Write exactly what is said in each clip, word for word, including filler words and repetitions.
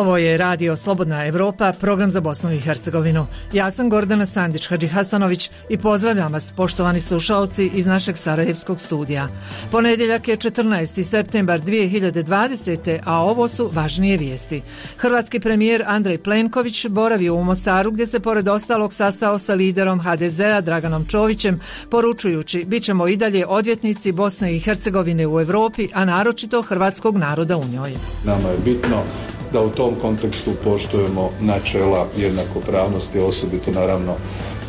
Ovo je Radio Slobodna Evropa, program za Bosnu i Hercegovinu. Ja sam Gordana Sandić-Hadžihasanović i pozdravljam vas, poštovani slušalci, iz našeg sarajevskog studija. Ponedjeljak je četrnaesti septembar dvije hiljade dvadesete. a ovo su važnije vijesti. Hrvatski premijer Andrej Plenković boravio u Mostaru, gdje se pored ostalog sastao sa liderom ha de zea Draganom Čovićem, poručujući: bit ćemo i dalje odvjetnici Bosne i Hercegovine u Europi, a naročito hrvatskog naroda u njoj. Nama je bitno da u tom kontekstu poštujemo načela jednakopravnosti, osobito naravno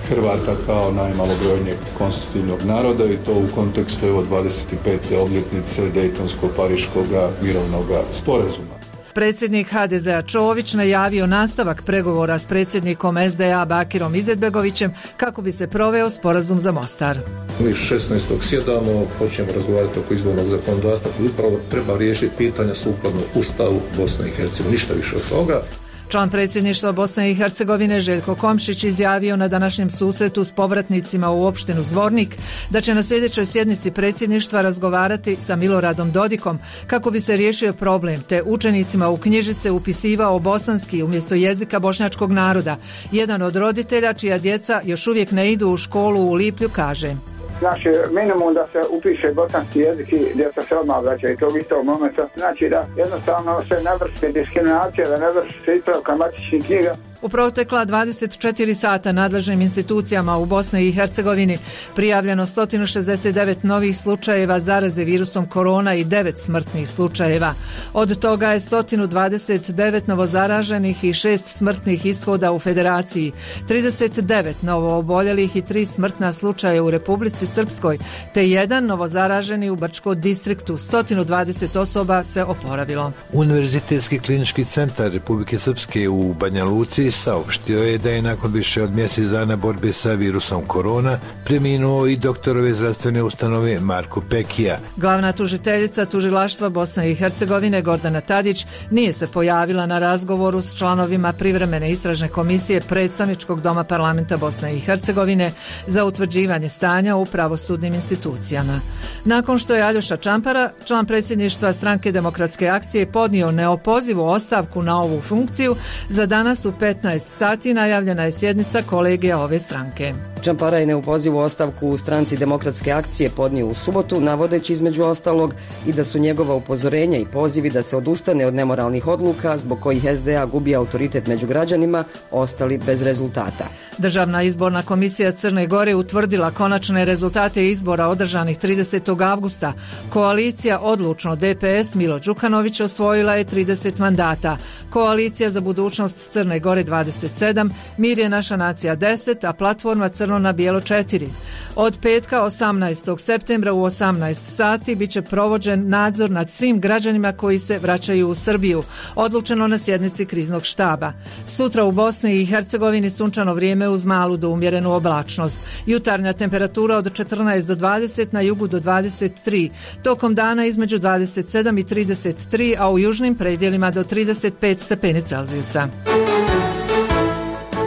Hrvata kao najmalobrojnijeg konstitutivnog naroda, i to u kontekstu evo dvadeset pete obljetnice Dejtonsko-Pariškoga mirovnog sporazuma. Predsjednik ha de zea Čović najavio nastavak pregovora s predsjednikom es de a Bakirom Izetbegovićem kako bi se proveo sporazum za Mostar. Mi šesnaestog sjedamo, počnemo razgovarati oko izbornog zakonodavstva, upravo treba riješiti pitanja sukladno Ustavu Bosne i Hercegovine, ništa više od toga. Član predsjedništva Bosne i Hercegovine Željko Komšić izjavio na današnjem susretu s povratnicima u opštinu Zvornik da će na sljedećoj sjednici predsjedništva razgovarati sa Miloradom Dodikom kako bi se riješio problem, te učenicima u knjižice upisivao bosanski umjesto jezika bošnjačkog naroda. Jedan od roditelja čija djeca još uvijek ne idu u školu u Liplju kaže: Znači, minimum da se upiše bosanski jezik i djeca se odmah vraćaju tog istog momenta. Znači da jednostavno se ne vrši diskriminacija, da ne vrši se ispravka matičnih knjiga. U protekla dvadeset četiri sata nadležnim institucijama u Bosni i Hercegovini prijavljeno sto šezdeset devet novih slučajeva zaraze virusom korona i devet smrtnih slučajeva. Od toga je sto dvadeset devet novozaraženih i šest smrtnih ishoda u Federaciji, trideset devet novooboljelih i tri smrtna slučaja u Republici Srpskoj, te jedan novozaraženi u Brčko distriktu. sto dvadeset osoba se oporavilo. Univerzitetski klinički centar Republike Srpske u Banja Luci saopštio je da je nakon više od mjesec dana borbe sa virusom korona preminuo i doktorove zdravstvene ustanove Marko Pekija. Glavna tužiteljica tužilaštva Bosne i Hercegovine Gordana Tadić nije se pojavila na razgovoru s članovima privremene istražne komisije Predstavničkog doma parlamenta Bosne i Hercegovine za utvrđivanje stanja u pravosudnim institucijama. Nakon što je Aljoša Čampara, član predsjedništva Stranke demokratske akcije, podnio neopozivu ostavku na ovu funkciju, za danas u petnaest sati najavljena je sjednica kolegija ove stranke. Čampara je neopozivu ostavku u Stranci demokratske akcije podnio u subotu, navodeći između ostalog i da su njegova upozorenja i pozivi da se odustane od nemoralnih odluka zbog kojih es de a gubi autoritet među građanima ostali bez rezultata. Državna izborna komisija Crne Gore utvrdila konačne rezultate izbora održanih tridesetog avgusta. Koalicija Odlučno de pe es Milo Đukanović osvojila je trideset mandata. Koalicija za budućnost Crne Gore dvadeset sedam, Mir je naša nacija deset, a Platforma Crno na bijelo četiri. Od petka osamnaestog septembra u osamnaest sati bit će provođen nadzor nad svim građanima koji se vraćaju u Srbiju, odlučeno na sjednici kriznog štaba. Sutra u Bosni i Hercegovini sunčano vrijeme uz malu do umjerenu oblačnost. Jutarnja temperatura od četrnaest do dvadeset, na jugu do dvadeset tri. Tokom dana između dvadeset sedam i trideset tri, a u južnim predjelima do trideset pet stepeni Celzijusa.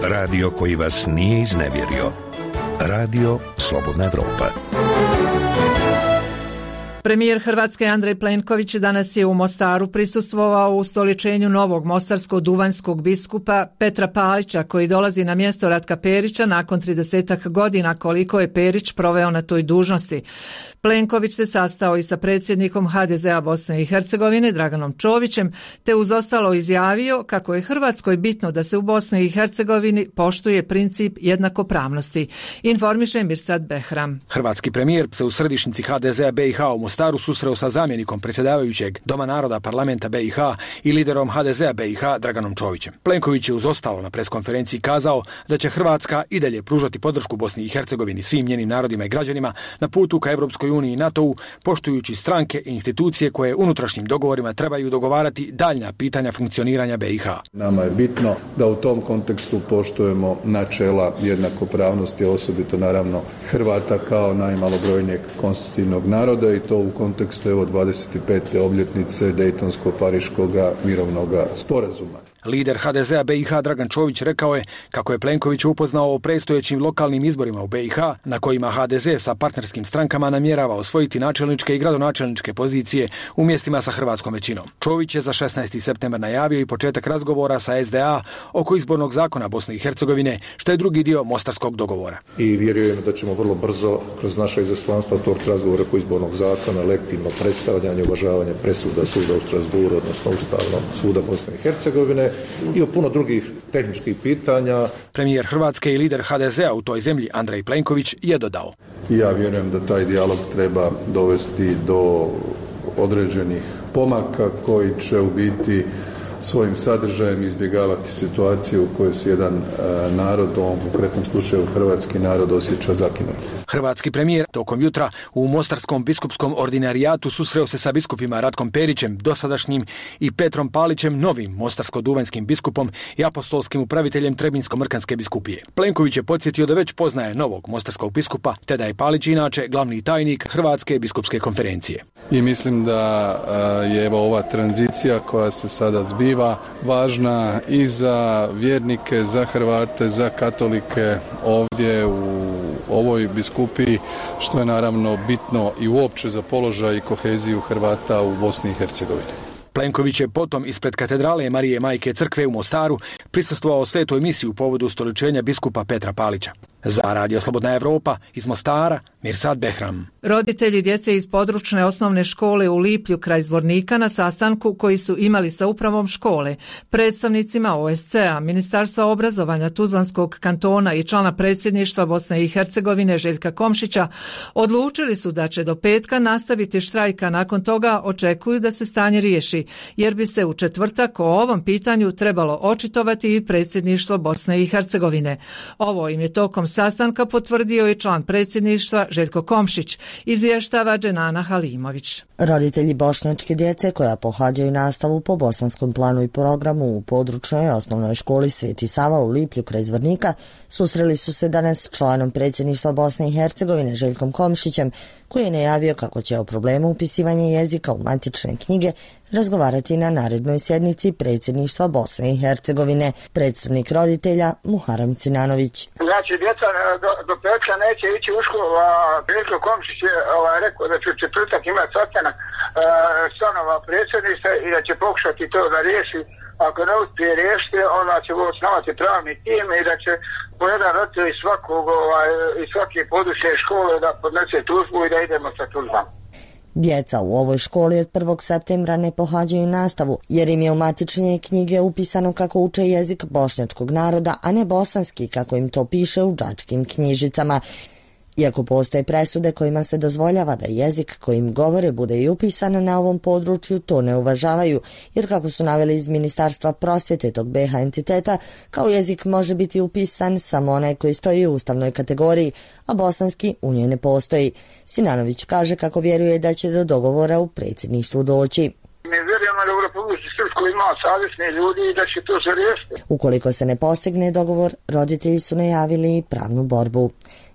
Radio koji vas nije iznevjerio. Radio Slobodna Evropa. Premijer Hrvatske Andrej Plenković danas je u Mostaru prisustvovao ustoličenju novog mostarsko-duvanjskog biskupa Petra Palića, koji dolazi na mjesto Ratka Perića nakon tridesetak godina koliko je Perić proveo na toj dužnosti. Plenković se sastao i sa predsjednikom ha de zea Bosne i Hercegovine Draganom Čovićem, te uz ostalo izjavio kako je Hrvatskoj bitno da se u Bosni i Hercegovini poštuje princip jednakopravnosti. Informiše Mirsad Behram. Hrvatski premijer se u središnjici ha de zea be i ha u Mostaru susreo sa zamjenikom predsjedavajućeg Doma naroda parlamenta be i ha i liderom ha de zea be i ha Draganom Čovićem. Plenković je uz ostalo na preskonferenciji kazao da će Hrvatska i dalje pružati podršku Bosni i Hercegovini, svim njenim narodima i građanima na putu ka Europskoj uniji i NATO-u, poštujući stranke i institucije koje unutrašnjim dogovorima trebaju dogovarati daljnja pitanja funkcioniranja be i ha. Nama je bitno da u tom kontekstu poštujemo načela jednakopravnosti, osobito naravno Hrvata kao najmalobrojnijeg konstitutivnog naroda, i to u kontekstu evo dvadeset pete obljetnice Dejtonsko-Pariškoga mirovnog sporazuma. Lider ha de zea be i ha Dragan Čović rekao je kako je Plenković upoznao o predstojećim lokalnim izborima u be i ha na kojima ha de ze sa partnerskim strankama namjerava osvojiti načelničke i gradonačelničke pozicije u mjestima sa hrvatskom većinom. Čović je za šesnaesti septembar najavio i početak razgovora sa es de a oko izbornog zakona Bosne i Hercegovine, što je drugi dio mostarskog dogovora. I vjerujem da ćemo vrlo brzo kroz naše izaslanstva otvoriti razgovore oko izbornog zakona, legitimno predstavljanje, uvažavanje presuda suda u Strasburu, odnosno Ustavnog suda Bosne i Hercegovine i o puno drugih tehničkih pitanja. Premijer Hrvatske i lider ha de zea u toj zemlji Andrej Plenković je dodao: Ja vjerujem da taj dijalog treba dovesti do određenih pomaka koji će u biti svojim sadržajem izbjegavati situaciju u kojoj se jedan e, narod, u ovom konkretnom slučaju hrvatski narod, osjeća zakinut. Hrvatski premijer tokom jutra u Mostarskom biskupskom ordinarijatu susreo se sa biskupima Ratkom Perićem, dosadašnjim, i Petrom Palićem, novim mostarsko-duvanjskim biskupom i apostolskim upraviteljem Trebinsko-Mrkanske biskupije. Plenković je podsjetio da već poznaje novog mostarskog biskupa, te da je Palić inače glavni tajnik Hrvatske biskupske konferencije. I mislim da je evo ova tranzicija koja se sada zbiva važna i za vjernike, za Hrvate, za katolike ovdje u ovoj biskupiji, što je naravno bitno i uopće za položaj i koheziju Hrvata u Bosni i Hercegovini. Plenković je potom ispred katedrale Marije Majke Crkve u Mostaru prisustvovao svetoj misiji u povodu ustoličenja biskupa Petra Palića. Za Radio Slobodna Evropa iz Mostara, Mirsad Behram. Roditelji djece iz područne osnovne škole u Liplju kraj Zvornika na sastanku koji su imali sa upravom škole, predstavnicima o es ce a, Ministarstva obrazovanja Tuzlanskog kantona i člana predsjedništva Bosne i Hercegovine Željka Komšića odlučili su da će do petka nastaviti štrajka, nakon toga očekuju da se stanje riješi, jer bi se u četvrtak o ovom pitanju trebalo očitovati i predsjedništvo Bosne i Hercegovine. Ovo im je tokom sastanka potvrdio i član predsjedništva Željko Komšić, izvještava Dženana Halimović. Roditelji bošnjačke djece koja pohađaju nastavu po bosanskom planu i programu u područnoj osnovnoj školi Sveti Sava u Liplju kraj Zvornika susreli su se danas s članom predsjedništva Bosne i Hercegovine Željkom Komšićem, koji je najavio kako će o problemu upisivanja jezika u matične knjige razgovarati na narednoj sjednici predsjedništva Bosne i Hercegovine. Predstavnik roditelja Muharem Sinanović. Znači, djeca do, do petka neće ići u školu, a Željko Komšić je ovaj, rekao da će četvrtak imati sastanak članova predsjedništva i da će pokušati to da riješi. Ako ne uspije riješiti, onda će osnovati pravni tim i da će po jedan roditelj iz svakog ovaj, iz svake područne škole da podnese tužbu i da idemo sa tužbama. Djeca u ovoj školi od prvog septembra ne pohađaju nastavu, jer im je u matične knjige upisano kako uče jezik bošnjačkog naroda, a ne bosanski kako im to piše u đačkim knjižicama. Iako postoje presude kojima se dozvoljava da jezik kojim govore bude i upisano na ovom području, to ne uvažavaju, jer kako su naveli iz Ministarstva prosvjete tog be ha entiteta, kao jezik može biti upisan samo onaj koji stoji u ustavnoj kategoriji, a bosanski u njoj ne postoji. Sinanović kaže kako vjeruje da će do dogovora u predsjedništvu doći. Mi vjerujemo da u Republici Srpskoj ima savjesni ljudi i da će to se riješiti. Ukoliko se ne postigne dogovor, roditelji su najavili pravnu borbu.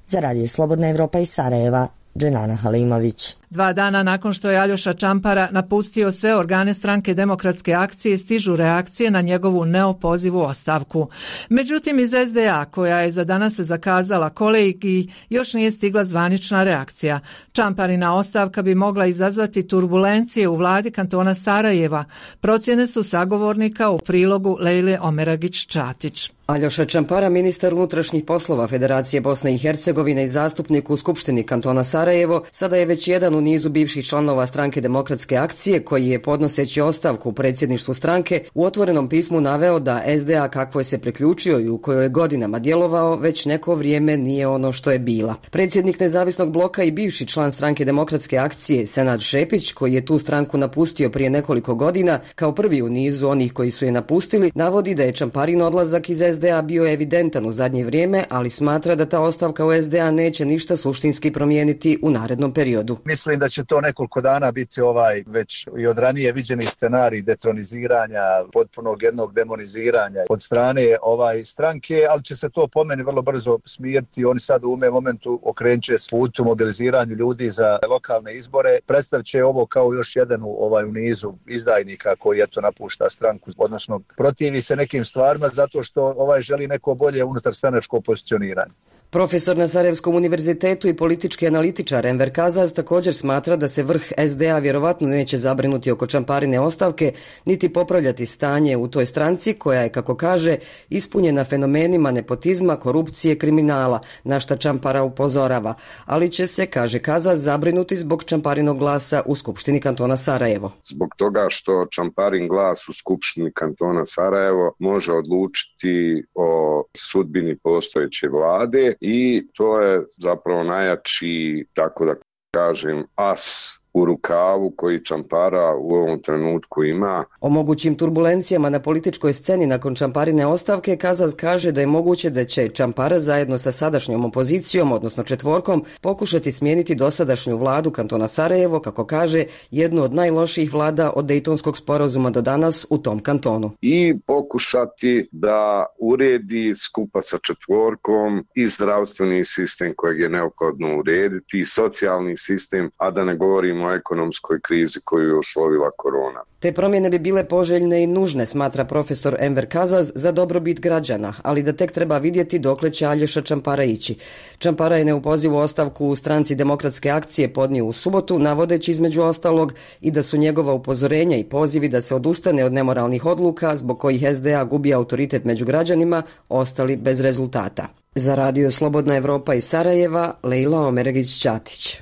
Za Radio Slobodna Evropa iz Sarajeva, Dženana Halimović. Dva dana nakon što je Aljoša Čampara napustio sve organe stranke Demokratske akcije, stižu reakcije na njegovu neopozivu ostavku. Međutim, iz es de a, koja je za danas zakazala kolegiji, još nije stigla zvanična reakcija. Čamparina ostavka bi mogla izazvati turbulencije u vladi kantona Sarajeva. Procjene su sagovornika u prilogu Lejle Omeragić-Čatić. Aljoša Čampara, ministar unutrašnjih poslova Federacije Bosne i Hercegovine i zastupnik u Skupštini kantona Sarajevo, sada je već jedan u nizu bivših članova stranke Demokratske akcije koji je, podnoseći ostavku u predsjedništvu stranke, u otvorenom pismu naveo da es de a kakvoj se priključio i u kojoj je godinama djelovao već neko vrijeme nije ono što je bila. Predsjednik nezavisnog bloka i bivši član stranke Demokratske akcije Senad Šepić, koji je tu stranku napustio prije nekoliko godina, kao prvi u nizu onih koji su je napustili, navodi da je Čamparin odlazak iz es de a bio evidentan u zadnje vrijeme, ali smatra da ta ostavka u es de a neće ništa suštinski promijeniti u narednom periodu. Mislim mislim da će to nekoliko dana biti ovaj već i od ranije viđeni scenarij detroniziranja, potpunog jednog demoniziranja od strane ovaj stranke, ali će se to po meni vrlo brzo smiriti. Oni sad u ovom momentu okrenut će se putu mobiliziranju ljudi za lokalne izbore. Predstavit će ovo kao još jedan ovaj u nizu izdajnika koji eto napušta stranku, odnosno protivi se nekim stvarima zato što ovaj želi neko bolje unutar stranačko pozicioniranje. Profesor na Sarajevskom univerzitetu i politički analitičar Enver Kazaz također smatra da se vrh es de a vjerovatno neće zabrinuti oko Čamparine ostavke, niti popravljati stanje u toj stranci koja je, kako kaže, ispunjena fenomenima nepotizma, korupcije, kriminala, na šta Čampara upozorava, ali će se, kaže Kazaz, zabrinuti zbog Čamparinog glasa u Skupštini kantona Sarajevo. Zbog toga što Čamparin glas u Skupštini kantona Sarajevo može odlučiti o sudbini postojeće vlade, i to je zapravo najjači, tako da kažem, as u rukavu koji Čampara u ovom trenutku ima. O mogućim turbulencijama na političkoj sceni nakon Čamparine ostavke Kazaz kaže da je moguće da će Čampara zajedno sa sadašnjom opozicijom, odnosno četvorkom, pokušati smijeniti dosadašnju vladu kantona Sarajevo, kako kaže, jednu od najlošijih vlada od Dejtonskog sporazuma do danas u tom kantonu. I pokušati da uredi skupa sa četvorkom i zdravstveni sistem kojeg je neophodno urediti, i socijalni sistem, a da ne govorimo o ekonomskoj krizi koju je uslovila korona. Te promjene bi bile poželjne i nužne, smatra profesor Enver Kazaz, za dobrobit građana, ali da tek treba vidjeti dokle će Aljoša Čampara ići. Čampara je neupozivu ostavku u stranci Demokratske akcije podnio u subotu, navodeći između ostalog i da su njegova upozorenja i pozivi da se odustane od nemoralnih odluka zbog kojih es de a gubi autoritet među građanima ostali bez rezultata. Za Radio Slobodna Evropa iz Sarajeva, Lejla Omeregić-Ćatić.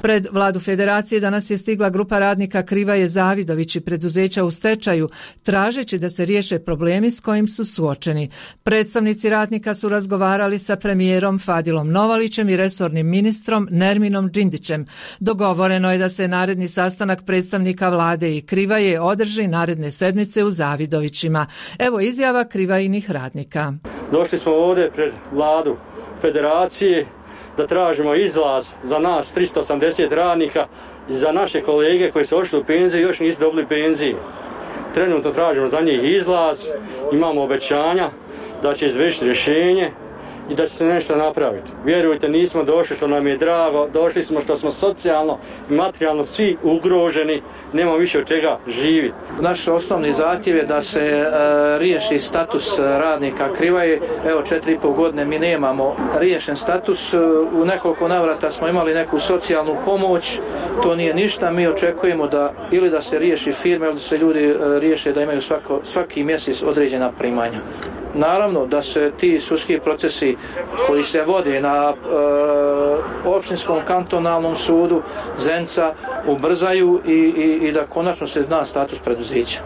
Pred vladu Federacije danas je stigla grupa radnika Krivaje Zavidović i preduzeća u stečaju, tražeći da se riješe problemi s kojim su suočeni. Predstavnici radnika su razgovarali sa premijerom Fadilom Novalićem i resornim ministrom Nerminom Džindićem. Dogovoreno je da se naredni sastanak predstavnika vlade i Krivaje održi naredne sedmice u Zavidovićima. Evo izjava Krivajinih radnika. Došli smo ovdje pred vladu Federacije da tražimo izlaz za nas tristo osamdeset radnika i za naše kolege koji su ošli u penziju i još nisu dobili penziju. Trenutno tražimo za njih izlaz, imamo obećanja da će izvršiti rješenje i da će se nešto napraviti. Vjerujte, nismo došli što nam je drago, došli smo što smo socijalno i materijalno svi ugroženi, nemamo više od čega živjeti. Naš osnovni zahtjev je da se e, riješi status radnika Krivaje. Evo četiri i pol godine mi nemamo riješen status. U nekoliko navrata smo imali neku socijalnu pomoć, to nije ništa. Mi očekujemo da ili da se riješi firme ili da se ljudi e, riješe da imaju svako, svaki mjesec određena primanja. Naravno da se ti sudski procesi koji se vode na e, opštinskom kantonalnom sudu Zenica ubrzaju i, i, i da konačno se zna status preduzeća.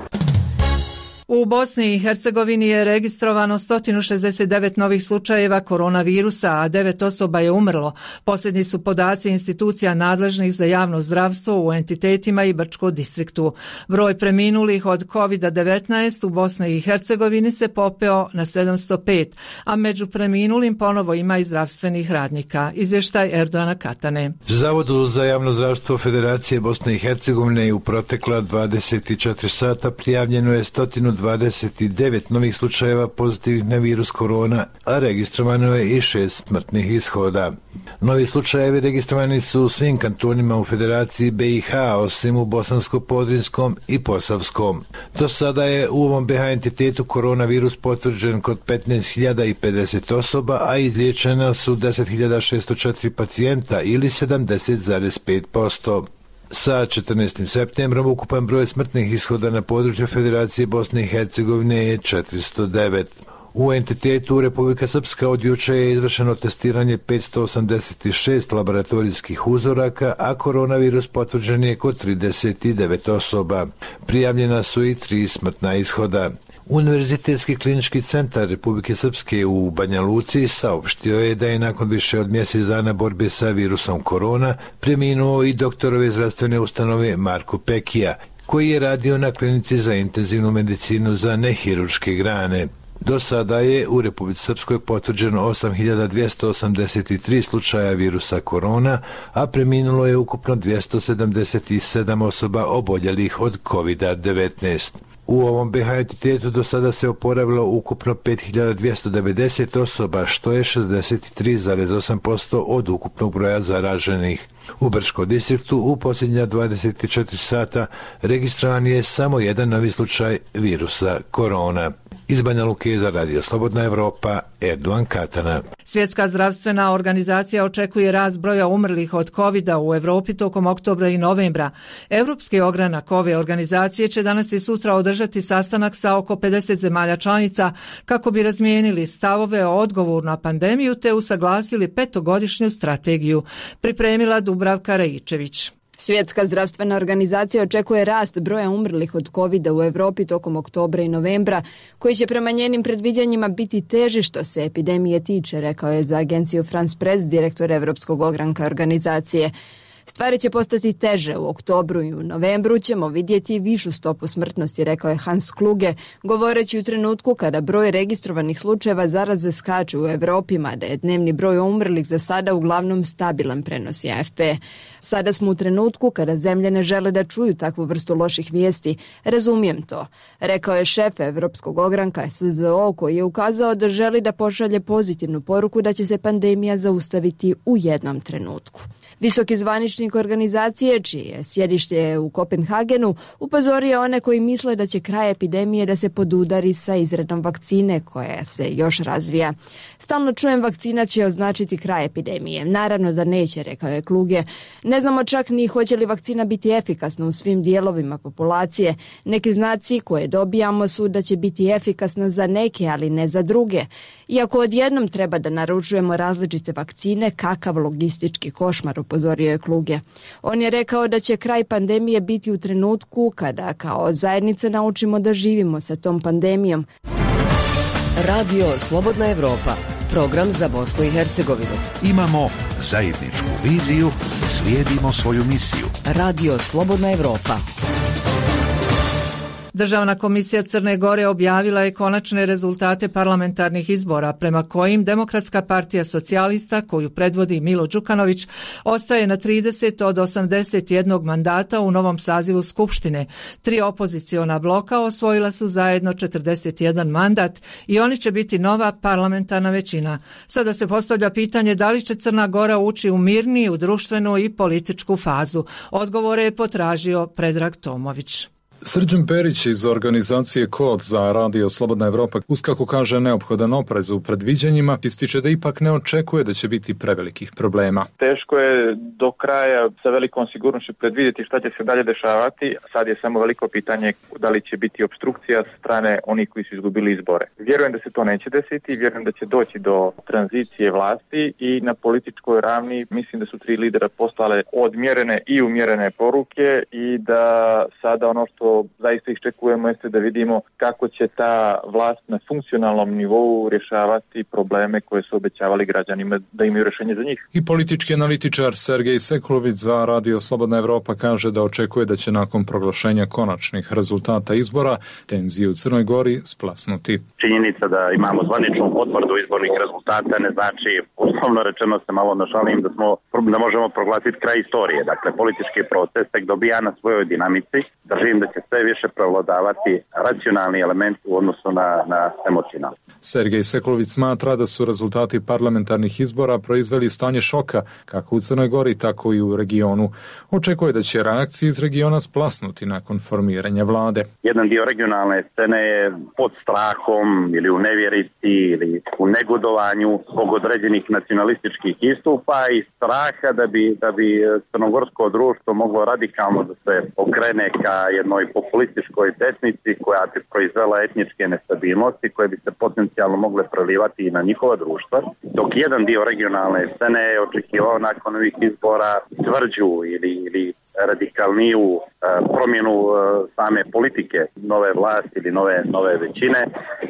U Bosni i Hercegovini je registrovano sto šezdeset devet novih slučajeva koronavirusa, a devet osoba je umrlo. Posljednji su podaci institucija nadležnih za javno zdravstvo u entitetima i Brčko distriktu. Broj preminulih od kovid devetnaest u Bosni i Hercegovini se popeo na sedamsto pet, a među preminulim ponovo ima i zdravstvenih radnika. Izvještaj Erdoana Katane. Zavodu za javno zdravstvo Federacije Bosne i Hercegovine u protekla dvadeset četiri sata prijavljeno je sto dvadeset devet novih slučajeva pozitivnih na virus korona, a registrovano je i šest smrtnih ishoda. Novi slučajevi registrovani su u svim kantonima u Federaciji be i ha, osim u Bosansko-Podrinjskom i Posavskom. Do sada je u ovom be ha entitetu koronavirus potvrđen kod petnaest hiljada pedeset osoba, a izliječena su deset hiljada šesto četiri pacijenta ili sedamdeset zarez pet posto. Sa četrnaestim septembrom ukupan broj smrtnih ishoda na području Federacije Bosne i Hercegovine je četiristo devet. U entitetu Republika Srpska od juče je izvršeno testiranje petsto osamdeset šest laboratorijskih uzoraka, a koronavirus potvrđen je kod trideset devet osoba. Prijavljena su i tri smrtna ishoda. Univerzitetski klinički centar Republike Srpske u Banja Luci saopštio je da je nakon više od mjesec dana borbe sa virusom korona preminuo i doktorove zdravstvene ustanove Marko Pekija, koji je radio na klinici za intenzivnu medicinu za nehirurške grane. Do sada je u Republici Srpskoj potvrđeno osam hiljada dvjesto osamdeset tri slučaja virusa korona, a preminulo je ukupno dvjesto sedamdeset sedam osoba oboljelih od kovid devetnaest. U ovom be ha entitetu do sada se oporavilo ukupno pet hiljada dvjesto devedeset osoba, što je šezdeset tri zarez osam posto od ukupnog broja zaraženih. U Brčkom distriktu u posljednja dvadeset četiri sata registriran je samo jedan novi slučaj virusa korona. Iz Banja Luke za Radio Slobodna Evropa, Erdogan Katana. Svjetska zdravstvena organizacija očekuje rast broja umrlih od kovida u Evropi tokom oktobra i novembra. Europski ogranak ove organizacije će danas i sutra održati sastanak sa oko pedeset zemalja članica kako bi razmijenili stavove o odgovoru na pandemiju te usaglasili petogodišnju strategiju. Pripremila Dubravka Rajičević. Svjetska zdravstvena organizacija očekuje rast broja umrlih od kovida u Evropi tokom oktobra i novembra, koji će prema njenim predviđanjima biti teži što se epidemije tiče, rekao je za agenciju France Press direktor Evropskog ogranka organizacije. Stvari će postati teže. U oktobru i u novembru ćemo vidjeti višu stopu smrtnosti, rekao je Hans Kluge, govoreći u trenutku kada broj registrovanih slučajeva zaraze skače u Evropi, mada je dnevni broj umrlih za sada uglavnom stabilan, prenosi A F P. Sada smo u trenutku kada zemlje ne žele da čuju takvu vrstu loših vijesti. Razumijem to, rekao je šef Evropskog ogranka S Z O, koji je ukazao da želi da pošalje pozitivnu poruku da će se pandemija zaustaviti u jednom trenutku. Visoki zvaničnik organizacije, čije je sjedište u Kopenhagenu, upozorio one koji misle da će kraj epidemije da se podudari sa izradom vakcine koja se još razvija. Stalno čujem vakcina će označiti kraj epidemije. Naravno da neće, rekao je Kluge. Ne znamo čak ni hoće li vakcina biti efikasna u svim dijelovima populacije. Neki znaci koje dobijamo su da će biti efikasna za neke, ali ne za druge. Iako odjednom treba da naručujemo različite vakcine, kakav logistički košmar, upozorio je Kluge. On je rekao da će kraj pandemije biti u trenutku kada kao zajednica naučimo da živimo sa tom pandemijom. Radio Slobodna Evropa, program za Bosnu i Hercegovinu. Imamo zajedničku viziju, slijedimo svoju misiju. Radio Slobodna Evropa. Državna komisija Crne Gore objavila je konačne rezultate parlamentarnih izbora, prema kojim Demokratska partija socijalista, koju predvodi Milo Đukanović, ostaje na trideset od osamdeset jednog mandata u novom sazivu Skupštine. Tri opoziciona bloka osvojila su zajedno četrdeset jedan mandat i oni će biti nova parlamentarna većina. Sada se postavlja pitanje da li će Crna Gora ući u mirniju društvenu i političku fazu. Odgovore je potražio Predrag Tomović. Srđan Perić iz organizacije Kod za Radio Slobodna Evropa, uz kako kaže neophodan oprez u predviđanjima, ističe da ipak ne očekuje da će biti prevelikih problema. Teško je do kraja sa velikom sigurnošću predvidjeti šta će se dalje dešavati. Sad je samo veliko pitanje da li će biti opstrukcija sa strane onih koji su izgubili izbore. Vjerujem da se to neće desiti, vjerujem da će doći do tranzicije vlasti i na političkoj ravni mislim da su tri lidera poslale odmjerene i umjerene poruke i da sada ono što zaista iščekujemo jeste da vidimo kako će ta vlast na funkcionalnom nivou rješavati probleme koje su obećavali građanima da imaju rješenje za njih. I politički analitičar Sergej Sekulović za Radio Slobodna Evropa kaže da očekuje da će nakon proglašenja konačnih rezultata izbora tenzije u Crnoj Gori splasnuti. Činjenica da imamo zvaničnu potvrdu izbornih rezultata ne znači, uslovno rečeno se malo našalim, da, smo, da možemo proglasiti kraj istorije. Dakle, politički proces tek dobija na svojoj dinamici. Držim da će sve više prevladavati racionalni element u odnosu na, na emocionalni. Sergej Sekulović smatra da su rezultati parlamentarnih izbora proizveli stanje šoka kako u Crnoj Gori, tako i u regionu. Očekuje da će reakcije iz regiona splasnuti nakon formiranja vlade. Jedan dio regionalne scene je pod strahom ili u nevjerici ili u negodovanju zbog određenih nacionalističkih istupa i straha da bi, da bi crnogorsko društvo moglo radikalno da se okrene ka jednoj populističkoj desnici koja bi proizvela etničke nestabilnosti koje bi se potencijalno mogle prelivati i na njihova društva, dok jedan dio regionalne scene je očekivao nakon ovih izbora tvrđu ili, ili radikalniju promjenu same politike nove vlasti ili nove, nove većine,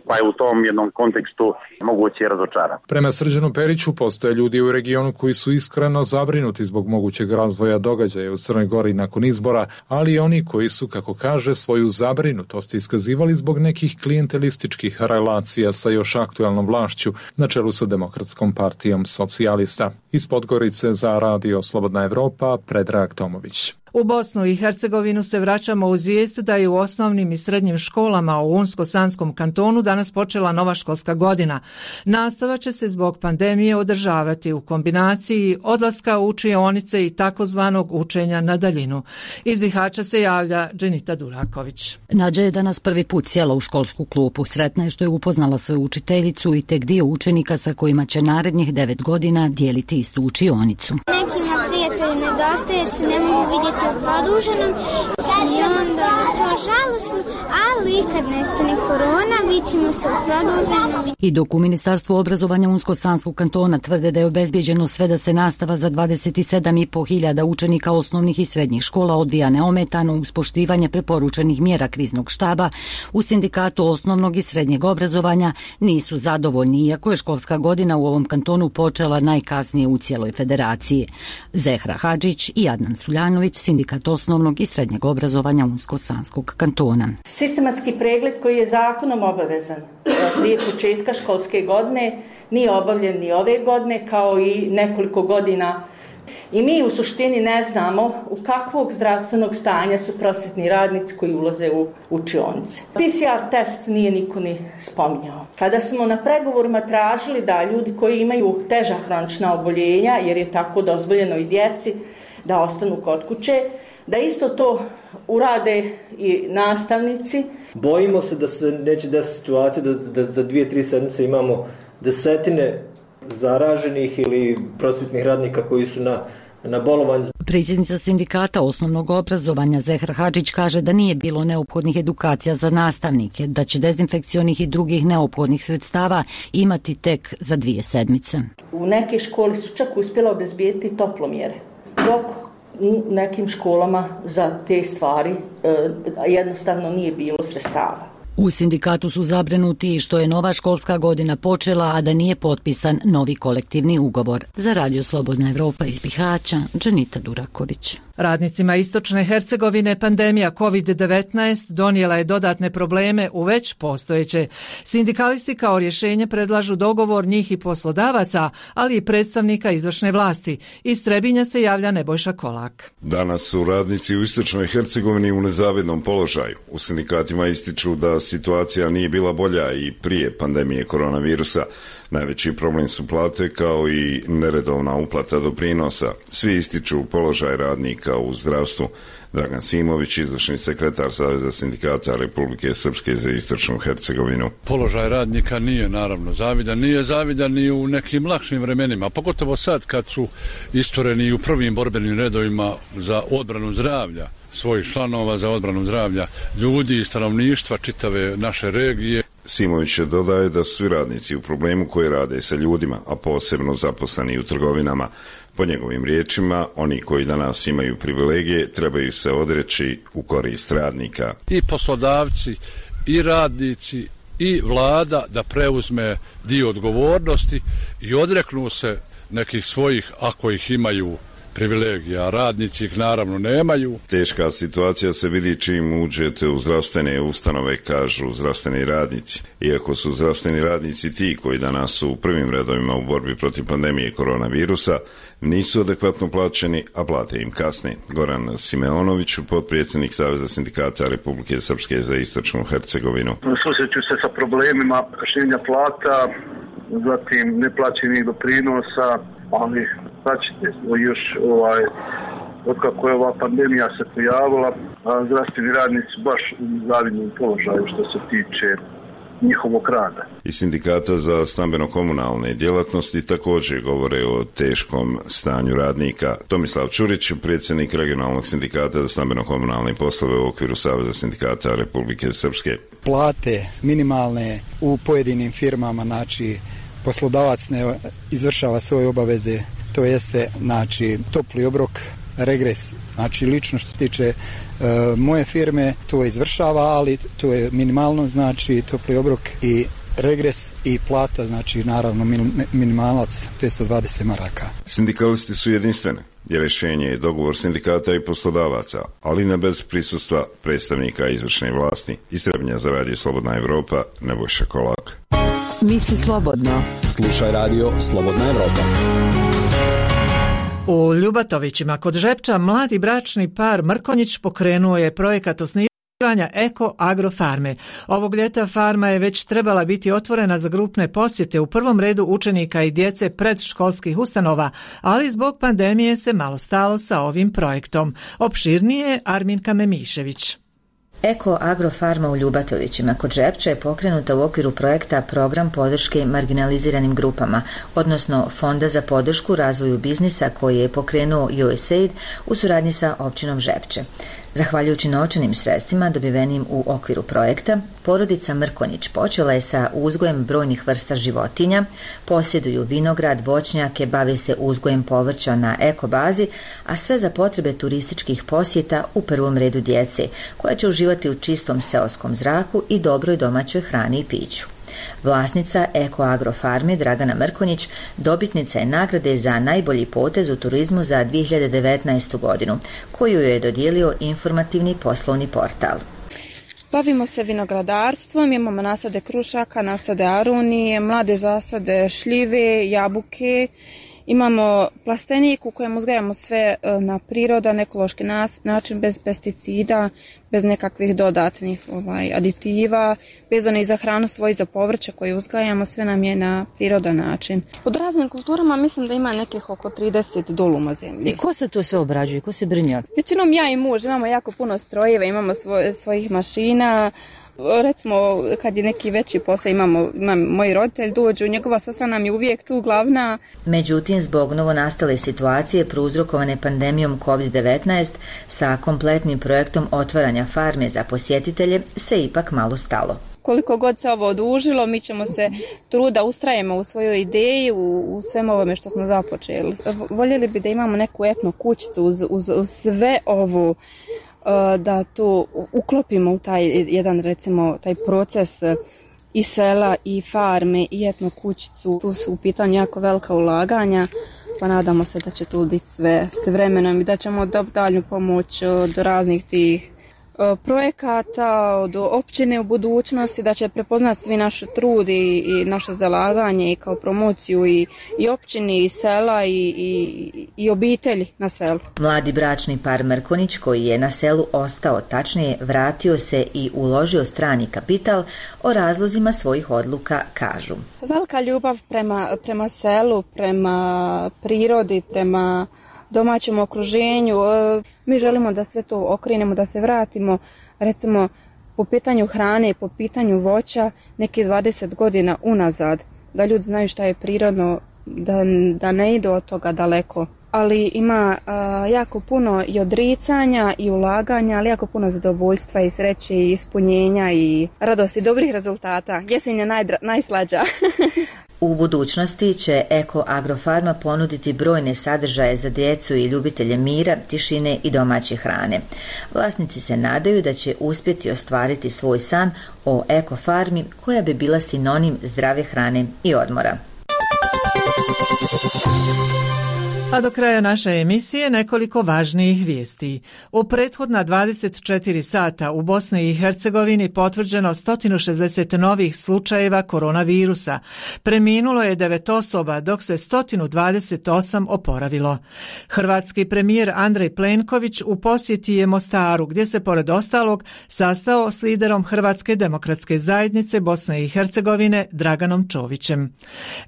pa je u tom jednom kontekstu moguće razočaran. Prema Srđanu Periću postoje ljudi u regionu koji su iskreno zabrinuti zbog mogućeg razvoja događaja u Crnoj Gori nakon izbora, ali i oni koji su, kako kaže, svoju zabrinutost iskazivali zbog nekih klijentelističkih relacija sa još aktualnom vlašću na čelu sa Demokratskom partijom socijalista. Iz Podgorice za Radio Slobodna Evropa, Predrag Tomović. U Bosnu i Hercegovinu se vraćamo uz vijest da je u osnovnim i srednjim školama u Unsko-Sanskom kantonu danas počela nova školska godina. Nastava će se zbog pandemije održavati u kombinaciji odlaska u učionice i takozvanog učenja na daljinu. Iz Bihaća se javlja Dženita Duraković. Nađa je danas prvi put sjela u školsku klupu. Sretna je što je upoznala svoju učiteljicu i tek dio učenika sa kojima će narednih devet godina dijeliti istu učionicu. Nekima prijatelji nedostaje, se ne mogu vidjeti u produženom i onda to žalosno, ali kad nestane korona, vidimo se u produženom. I dok u Ministarstvu obrazovanja Unsko-Sanskog kantona tvrde da je obezbijeđeno sve da se nastava za dvadeset sedam i po hiljada učenika osnovnih i srednjih škola odvija neometano uz poštivanje preporučenih mjera kriznog štaba, u Sindikatu osnovnog i srednjeg obrazovanja nisu zadovoljni, iako je školska godina u ovom kantonu počela najkasnije u cijeloj federaciji. Zehra Hadžić i Adnan Suljanović, Sindikat osnovnog i srednjeg obrazovanja Unsko-Sanskog kantona. Sistematski pregled koji je zakonom obavezan prije početka školske godine nije obavljen ni ove godine, kao i nekoliko godina. I mi u suštini ne znamo u kakvog zdravstvenog stanja su prosvetni radnici koji ulaze u učionice. P C R test nije niko ni spominjao. Kada smo na pregovorima tražili da ljudi koji imaju teža hronična oboljenja, jer je tako dozvoljeno i djeci da ostanu kod kuće, da isto to urade i nastavnici. Bojimo se da se neće desiti situacija da, da za dvije, tri sedmice imamo desetine zaraženih ili prosvjetnih radnika koji su na, na bolovanju. Predsjednica Sindikata osnovnog obrazovanja Zehra Hadžić kaže da nije bilo neophodnih edukacija za nastavnike, da će dezinfekcionih i drugih neophodnih sredstava imati tek za dvije sedmice. U neke škole su čak uspjela obezbijeti toplomjere, dok u nekim školama za te stvari e, jednostavno nije bilo sredstava. U sindikatu su zabrinuti što je nova školska godina počela, a da nije potpisan novi kolektivni ugovor. Za Radio Slobodna Evropa iz Bihaća, Dženita Duraković. Radnicima Istočne Hercegovine pandemija kovid devetnaest donijela je dodatne probleme u već postojeće. Sindikalisti kao rješenje predlažu dogovor njih i poslodavaca, ali i predstavnika izvršne vlasti. Iz Trebinja se javlja Nebojša Kolak. Danas su radnici u Istočnoj Hercegovini u nezavidnom položaju. U sindikatima ističu da situacija nije bila bolja i prije pandemije koronavirusa. Najveći problem su plate kao i neredovna uplata doprinosa. Svi ističu položaj radnika u zdravstvu. Dragan Simović, izvršni sekretar Saveza sindikata Republike Srpske za Istočnu Hercegovinu. Položaj radnika nije naravno zavidan, nije zavidan ni u nekim lakšim vremenima, pogotovo sad kad su istureni u prvim borbenim redovima za odbranu zdravlja svojih članova, za odbranu zdravlja ljudi i stanovništva čitave naše regije. Simović dodaje da su svi radnici u problemu koji rade sa ljudima, a posebno zaposleni u trgovinama. Po njegovim riječima, oni koji danas imaju privilegije trebaju se odreći u korist radnika. I poslodavci, i radnici, i vlada da preuzme dio odgovornosti i odreknu se nekih svojih, ako ih imaju, privilegija, radnici ih naravno nemaju. Teška situacija se vidi čim uđete u zdravstvene ustanove, kažu zdravstveni radnici. Iako su zdravstveni radnici ti koji danas su u prvim redovima u borbi protiv pandemije koronavirusa, nisu adekvatno plaćeni, a plate im kasne. Goran Simeonović, potpredsjednik Saveza sindikata Republike Srpske za Istočnu Hercegovinu. Susreću se sa problemima kašnjenja plata, zatim neplaćenih doprinosa, ali značite još ovaj, otkako je ova pandemija se pojavila, zdravstveni radnici baš u zavidnom položaju što se tiče njihovog rada. I sindikata za stambeno-komunalne djelatnosti također govore o teškom stanju radnika. Tomislav Čurić, predsjednik regionalnog sindikata za stambeno-komunalne poslove u okviru Saveza sindikata Republike Srpske. Plate minimalne u pojedinim firmama, znači poslodavac ne izvršava svoje obaveze, to jeste znači topli obrok regres. Znači lično što se tiče e, moje firme to izvršava, ali to je minimalno, znači topli obrok i regres i plata, znači naravno minimalac petsto dvadeset maraka. Sindikalisti su jedinstveni. Je rješenje je dogovor sindikata i poslodavaca, ali ne bez prisustva predstavnika izvršne vlasti. Iz Trebnja za Radio Slobodna Evropa, Nebojša Kolak. Misli slobodno. Slušaj Radio Slobodna Evropa. U Ljubatovićima kod Žepča mladi bračni par Mrkonjić pokrenuo je projekat osnivanja Eko Agrofarme. Ovog ljeta farma je već trebala biti otvorena za grupne posjete, u prvom redu učenika i djece predškolskih ustanova, ali zbog pandemije se malo stalo sa ovim projektom. Opširnije Arminka Memišević. Eko Agrofarma u Ljubatovićima kod Žepča je pokrenuta u okviru projekta Program podrške marginaliziranim grupama, odnosno Fonda za podršku razvoju biznisa koji je pokrenuo U S A I D u suradnji sa općinom Žepče. Zahvaljujući novčanim sredstvima dobivenim u okviru projekta, porodica Mrkonjić počela je sa uzgojem brojnih vrsta životinja, posjeduju vinograd, voćnjake, bave se uzgojem povrća na eko bazi, a sve za potrebe turističkih posjeta, u prvom redu djece, koja će uživati u čistom seoskom zraku i dobroj domaćoj hrani i piću. Vlasnica Eko Agrofarme Dragana Mrkonjić dobitnica je nagrade za najbolji potez u turizmu za dvije hiljade devetnaestu. godinu, koju je dodijelio informativni poslovni portal. Bavimo se vinogradarstvom, imamo nasade krušaka, nasade arunije, mlade zasade šljive, jabuke. Imamo plastenik u kojem uzgajamo sve na prirodan, ekološki način, bez pesticida, bez nekakvih dodatnih ovaj, aditiva, vezano i za hranu svoju, za povrće koje uzgajamo, sve nam je na prirodan način. Pod raznim kulturama mislim da ima nekih oko trideset duluma zemlje. I ko se to sve obrađuje, ko se brinja? Većinom ja i muž, imamo jako puno strojeva, imamo svoj, svojih mašina. Recimo, kad je neki veći posao, imamo, imam, moji roditelji dođu, njegova sestra nam je uvijek tu glavna. Međutim, zbog novonastale situacije prouzrokovane pandemijom kovid devetnaest, sa kompletnim projektom otvaranja farme za posjetitelje se ipak malo stalo. Koliko god se ovo odužilo, mi ćemo se truda ustrajemo u svojoj ideji, u, u svem ovome što smo započeli. Voljeli bi da imamo neku etno kućicu uz, uz, uz sve ovo, da to uklopimo u taj jedan, recimo, taj proces i sela i farme i etno kućicu. Tu su u pitanju jako velika ulaganja, pa nadamo se da će tu biti sve s vremenom i da ćemo dobiti dalju pomoć od raznih tih projekata, od općine u budućnosti, da će prepoznati svi naš trud i, i naše zalaganje i kao promociju i, i općini i sela i, i, i obitelji na selu. Mladi bračni par Mrkonjić koji je na selu ostao, tačnije vratio se i uložio strani kapital, o razlozima svojih odluka kažu. Velika ljubav prema, prema selu, prema prirodi, prema domaćem okruženju. Mi želimo da sve to okrenemo, da se vratimo, recimo po pitanju hrane, po pitanju voća, neki dvadeset godina unazad, da ljudi znaju šta je prirodno, da, da ne idu od toga daleko. Ali ima a, jako puno i odricanja i ulaganja, ali jako puno zadovoljstva i sreće i ispunjenja i radosti, dobrih rezultata. Jesen je najdra, najslađa. U budućnosti će Eko Agrofarma ponuditi brojne sadržaje za djecu i ljubitelje mira, tišine i domaće hrane. Vlasnici se nadaju da će uspjeti ostvariti svoj san o Eko farmi koja bi bila sinonim zdrave hrane i odmora. A do kraja naše emisije nekoliko važnijih vijesti. U prethodna dvadeset četiri sata u Bosni i Hercegovini potvrđeno sto šezdeset novih slučajeva koronavirusa. Preminulo je devet osoba, dok se sto dvadeset osam oporavilo. Hrvatski premijer Andrej Plenković u posjeti je Mostaru, gdje se pored ostalog sastao s liderom Hrvatske demokratske zajednice Bosne i Hercegovine Draganom Čovićem.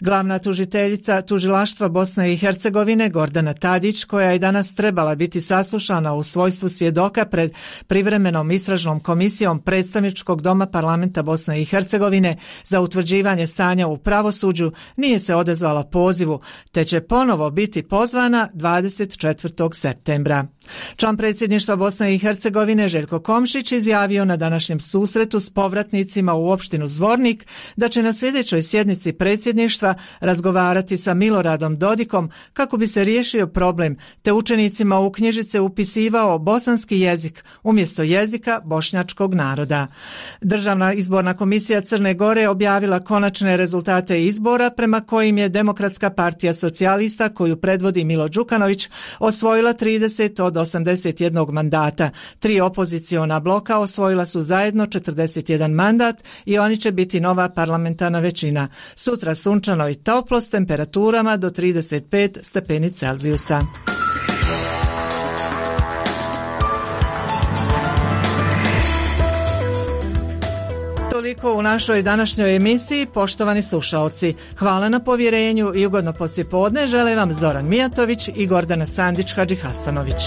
Glavna tužiteljica tužilaštva Bosne i Hercegovine Gordana Tadić, koja je danas trebala biti saslušana u svojstvu svjedoka pred privremenom istražnom komisijom Predstavničkog doma Parlamenta Bosne i Hercegovine za utvrđivanje stanja u pravosuđu, nije se odazvala pozivu, te će ponovo biti pozvana dvadeset četvrtog septembra. Član predsjedništva Bosne i Hercegovine Željko Komšić izjavio na današnjem susretu s povratnicima u opštinu Zvornik da će na sljedećoj sjednici predsjedništva razgovarati sa Miloradom Dodikom kako bi se riješio problem te učenicima u knjižice upisivao bosanski jezik umjesto jezika bošnjačkog naroda. Državna izborna komisija Crne Gore objavila konačne rezultate izbora prema kojim je Demokratska partija socijalista koju predvodi Milo Đukanović osvojila trideset od osamdeset jednog mandata. Tri opoziciona bloka osvojila su zajedno četrdeset jedan mandat i oni će biti nova parlamentarna većina. Sutra sunčano i toplo s temperaturama do trideset pet stepeni Celzijusa. Toliko u našoj današnjoj emisiji, poštovani slušaoci. Hvala na povjerenju i ugodno poslijepodne žele vam Zoran Mijatović i Gordana Sandić Hadžihasanović.